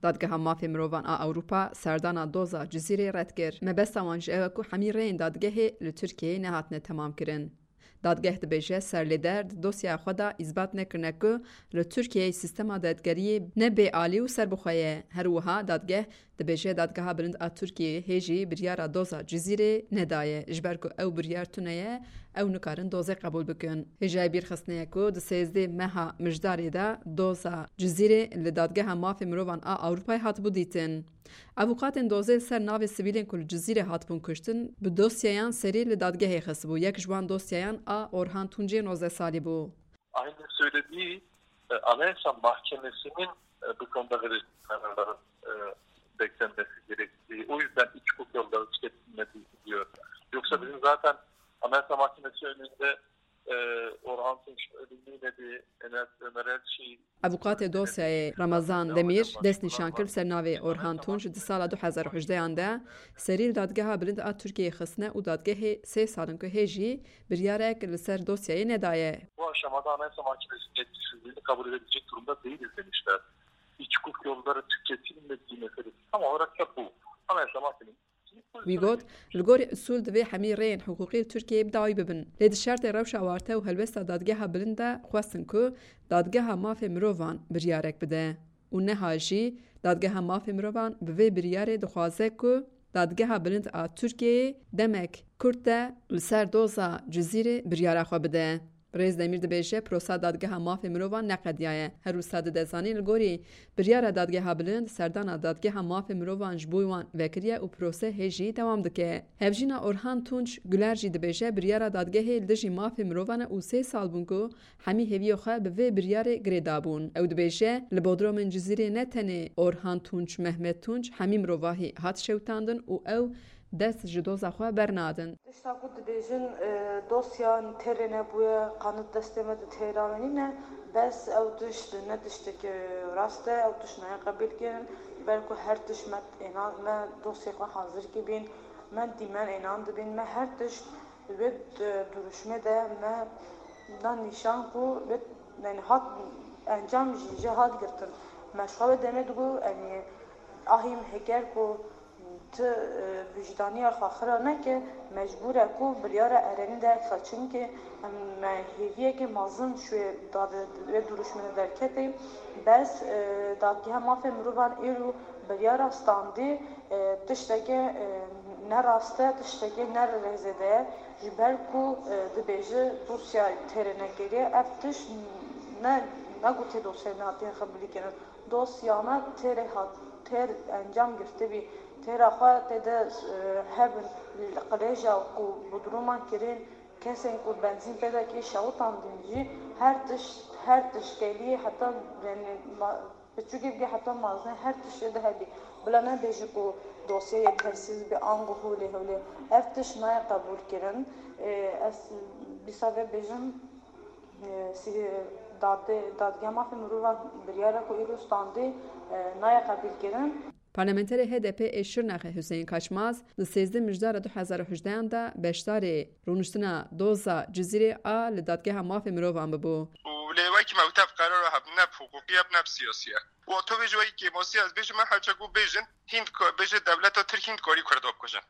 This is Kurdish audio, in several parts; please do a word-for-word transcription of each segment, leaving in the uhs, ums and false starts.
Dadgeha Mafê Mirovan a Ewropa serdana doza Cizîrê red kir. Mebesta wan ji ew e ku hemî rêyên dadgehê li Tirkiyeyê nehatine temamkirin. Dadgeh dibêje, serlêder di dosyaya xwe de îsbat nekirine ku li Tirkiyeyê sîstema dadgeriyê ne bêalî û serbixwe ye. Her wiha dadgeh dibêje, Dadgeha Bilind a Tirkiyeyê hê jî biryara doza Cizîrê nedaye, ji ber ku ew biryar tune ye, ew nikarin dozê qebûl bikin. Hêjayê bîrxistinê ye ku di sêzdeh meha Mijdarê de doza Cizîrê li Dadgeha Mafê Mirovan a Ewropayê hatibû dîtin. Avûkatên dozê li ser navê sivîlên ku li Cizîrê hatibûn kuştin, bi dosyayan serî li dadgehê xistibû. Yek ji wan dosyayan a Orhan Tuncê nozdeh salî bû. Aynı söylediği e, Anayasa Mahkemesi'nin e, bu konuda vereceği kararların e, beklenmesi gerektiği, o yüzden iç hukuk yolları tüketilmediği diyor. Yoksa bizim zaten Anayasa Mahkemesi önünde e, Orhan Tunç ölümüyle bir Enes Ömer Elçi Avukatê dosyayê Ramazan Demîr dest nîşan kir ser navê Orhan Tunç di sala du hezar û hejdehan de serî li Dadgeha Bilind a Tirkiyeyê xistine û dadgehê sê sal in ku hê jî biryarek li ser dosyayê nedaye. Bu aşamada Anayasa Mahkemesi'nin yetkisizliğini kabul edebilecek durumda değiliz demişler. İç hukuk yolları tüketilmediği meselesi tam olarak da bu. Anayasa Mahkemesi Wî got, li gorî usûl divê hemî rêyên hiqûqî li Tirkiyeyê bi dawî bibin. Lê di şertê rewşa warte û helwesta Dadgeha Bilind de xwestin ku Dadgeha Mafê Mirovan biryarek bide û neha jî Dadgeha Mafê Mirovan bi vê biryarê dixwaze ku Dadgeha Bilind a Tirkiyeyê demek kurt de li ser doza Cizîrê biryara xwe bide. Birêz Demîr dibêje, prosa Dadgeha Mafê Mirovan neqediyaye. Her wisa dide zanîn, li gorî biryara Dadgeha Bilind, serdana Dadgeha Mafê Mirovan ji bo wan vekiriye û prose hê jî dewam dike. Hevjîna Orhan Tunç Guler jî dibêje, biryara dadgehê li dijî mafê mirovan e û sê sal bûn ku hemî hêviya xwe bi vê biryarê girê dabûn. Ew dibêje, li bodromên Cizîrê ne tenê Orhan Tunç, Mehmet Tunç, hemî mirovahî hat şewitandin û ew dest ji doza xwe bernadin. Tişta ku dibêjin, e, dosya têrê nebûye, qanûn destê me di têra me nîne, bes ew tişt ne tiştekî rast e, ew tişt nayê qebîlkirin, ber ku her tişt me êna, me dosyê xwe hazir kibîn, me dîmen ênan dibîn, me her tişt wê di duruşmê de me dan nîşan ku wê, yani hat, encam jî jê hat girtin. Me ji xwe wê demê digo, yani ahî me heker ku Ti, e, wijdaniya xwe xira neke, mecbûr e ku biryara erenî derxe, çimkî em, me hêviyeke mezin ji wê dad-, wê duruşmê de derketê. Bes, e, Dadgeha Mafê Mirovan îro biryara standî, e, tişteke, e, ne rast e, tişteke ne rêzê de ye. Ji ber ku, e, dibêje dosya têrê nekiriye, ev tişt ne, ne gotê dosyayê nehatiye qebûlkirin. Dosyana têrê hat, têr encam girtibî, têra xwe tê de, e, hebin, qilêja ku bodruma kirin, kesên ku benzîn pê de kê şewitandin jî, her tişt, her tişt kelî heta, yani, ma-, piçûkê bigê heta mezin, her tişt ê de hebî. Bila nebêjî ku dosyeyê yetersîz bî, ango holê holê. Ev tişt nayê qebûlkirin. E, ez dîsa vê bêjim, E, sî-, dade-, Dadgeha Mafê Mirovan biryara ku îro standê, e, nayê qebîlkirin. Parlamenterê H D P ê Şirnexê Hüseyin Kaçmaz di sêzdeh Mijdara du hezar û hejdehan de beşdarê rûniştina doza Cizîrê a li Dadgeha Mafê Mirovan bibû. Û lê wekî me wî tev qerara hebû ne bi hiqûqî ye, ne bi siyasî ye. Û to vê ji wekî kêmasî ez bêjim, me her çi ku bêjin, hîn ko-, bêje dewleta Tirk hîn dikarî Kurda bikujin.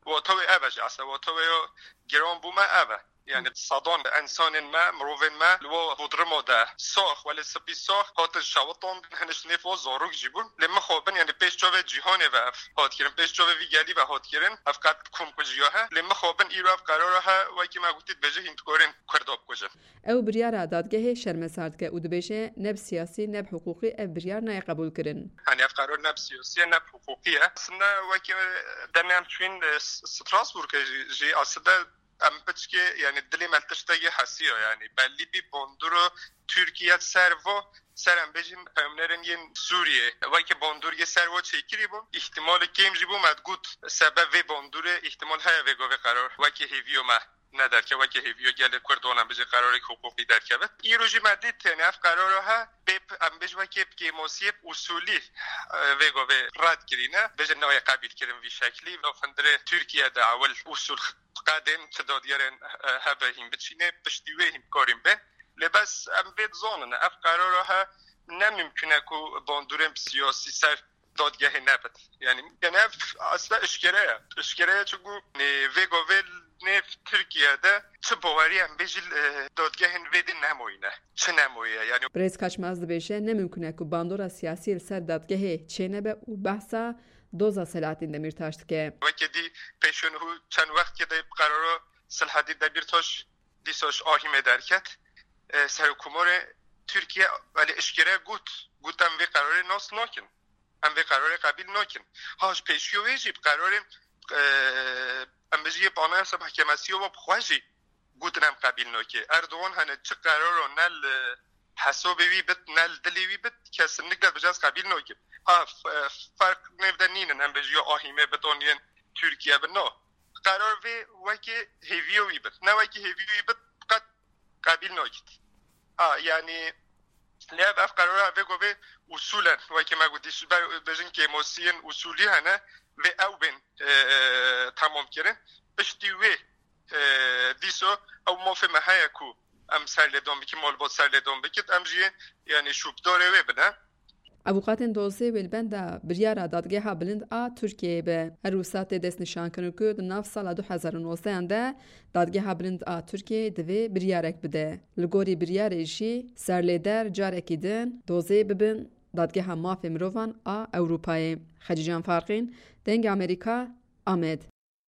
Û ew tawê ev e jî, eslê ew tawê yo giran bû me ev e. Yani sedan insanên me, mirovên me li wo bodrimo de sax, welê spî sax, hatin şewitandin, hinek ji nêv wo zarok jî bûn. Lê mixabin, yani pêş çavê cîhanê ve ev hat kirin, pêş çavê vî gelî ve hat kirin, ev qet komkujiya he. Lê mixabin îro ev qerara he, wekî me gotî dibêje hîn dikarên Kurda bikujin. Ew biryara dadgehê şermezar dike û dibêje, ne bi siyasî, ne bi hiqûqî ev biryar nayê qebûlkirin. Hani ev qerar ne bi siyasî ye, ne bi hiqûqî ye. Aslında wekî demê em çûyîn, e, S-, Strasbourgê jî, jî aslında em piçkê, yani dilê me li tiştekî hesiya, yani bellî bî bandoro Tirkiye ser vo, ser em bêjin peyamnerên yên Sûriyê, wekî bandorgê ser vo çêkirî bû. Îhtimalê kêm jî bû me digot, sebeb vê bandorê îhtimal heye vê govê qerar wekî hêviyo me nederke, wekî hêviyo gelê Kurd wan em bêjin qerarek hiqûqî derkevit. Îro jî me dît, yani ev qerara he, bê p-, em bêjin wekî bi kêmasiyê bi usulî, e, vê govê red kirîne. Bêjin nayê qebîl kirin vî şeklî. Ev hundirê Tirkiye de ewil usul qedên çi dadyerên, e, hebe hîn biçîne, piştî wê hîn bikarîn bên. Lê bes em vê dizanin, ev qerara he, Ne mümkün e ku bandorên siyasî ser dadgehê nebit. Yani, yani ev aslında eşkere ye. Eşkere ye çünkü, e, vê govê nêv Tirkiye de çi bawerî em bêjî, e, dadgehên vê din nemoyîne. Çi nemoye yani. Birêz Kaçmaz dibêje, ne mimkun e ku bandora siyasî li ser dadgehê çênebe û behsa doza Selahattin Demirtaş dike. Weke dî pêşûn hû çend wextkê de qerara Selahattin Demirtaş dîsa ji Ahîmê derket. E, Serokkomarê Tirkiye, yani eşkere got, got em vê qerarê nas nakin. Em vê qerarê qebîl nakin. Ha, ji pêşiyo wê jî bi qerarên, e, em bêjî yê Anayasa Mahkemesiyo ve bi xwe jî gotin em qebîl nake. Erdogan hene çi qeraro ne li hesabê wî bit, ne li dilê wî bit, kesinlikle bêje ez qebîl nakim. Ha, f-, e, ferq nêv de nînin, em bêjî ya Ahîmê bit, an yên Tirkiye bit, no. Qerar vê wekî hêviyo wî bit. Ne wekî hêviyo wî bit, qet qebîl nakit. Ha, yani, lê ev, ev qerara vê govê usulen, wekî me gotî, ji ber bêjin kêmosiyên usulî hene, vê ew bên, e, e, temam kirin. Piştî wê, e, dîso ew mafê me heye ku em serlêdan bikin, malbat serlêdan bikit, em jî, yani, şûpdarê wê bine. Avûkatên dozê wê li benda biryara Dadgeha Bilind a Tirkiyeyê be. Her wisa tê destnîşankirin ku di nav sala du hezar û nozdehan de Dadgeha Bilind a Tirkiyeyê divê biryarek bide. Li gorî biryarê jî serlêder carekî din dozê bibin Dadgeha Mafê Mirovan a Ewropayê. Xecîcan Farqîn, Dengê Amerîka, Amed.